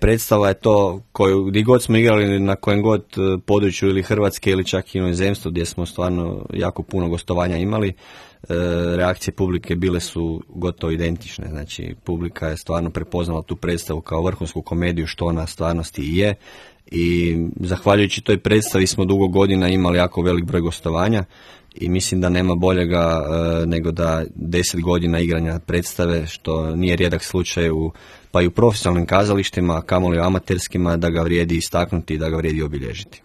predstava je to koju gdje god smo igrali na kojem god području ili Hrvatske ili čak i inozemstvu gdje smo stvarno jako puno gostovanja imali, reakcije publike bile su gotovo identične. Znači publika je stvarno prepoznala tu predstavu kao vrhunsku komediju što ona stvarnosti i je, i zahvaljujući toj predstavi smo dugo godina imali jako velik broj gostovanja i mislim da nema boljega nego da 10 godina igranja predstave, što nije rijedak slučaj pa i u profesionalnim kazalištima, a kamoli u amaterskima, da ga vrijedi istaknuti i da ga vrijedi obilježiti.